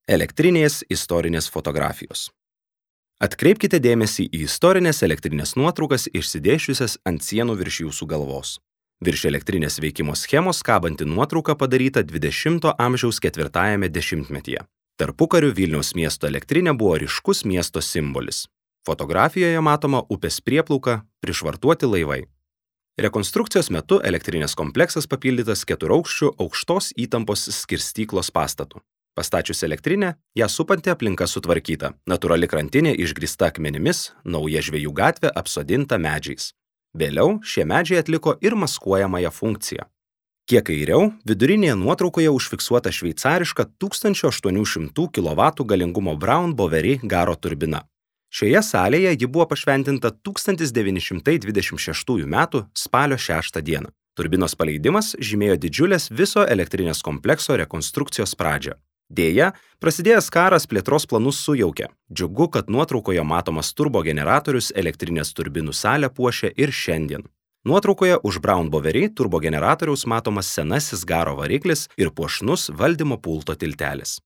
Elektrinės istorinės fotografijos. Atkreipkite dėmesį į istorinės elektrinės nuotraukas išsidėsčiusias ant sienų virš jūsų galvos. Virš elektrinės veikimo schemos kabanti nuotrauka padaryta 20 amžiaus 4-ajame dešimtmetyje. Tarpukariu Vilniaus miesto elektrinė buvo ryškus miesto simbolis. Fotografijoje matoma upės prieplauka, prišvartuoti laivai. Rekonstrukcijos metu elektrinės kompleksas papildytas 4-aukščiu aukštos įtampos skirstyklos pastatu. Pastačius elektrinę, ją supanti aplinka sutvarkyta, natūrali krantinė išgrįsta akmenimis, nauja žvejų gatvė apsodinta medžiais. Vėliau šie medžiai atliko ir maskuojamąją funkciją. Kiek kairiau, vidurinėje nuotraukoje užfiksuota šveicariška 1800 kW galingumo Braun Boveri garo turbina. Šioje salėje ji buvo pašventinta 1926 m. spalio 6 d. Turbinos paleidimas žymėjo didžiulės viso elektrinės komplekso rekonstrukcijos pradžią. Deja, prasidėjęs karas plėtros planus sujaukė. Džiugu, kad nuotraukoje matomas turbogeneratorius elektrinės turbinų salę puošia ir šiandien. Nuotraukoje už Braun Boveri turbogeneratoriaus matomas senasis garo variklis ir puošnus valdymo pulto tiltelis.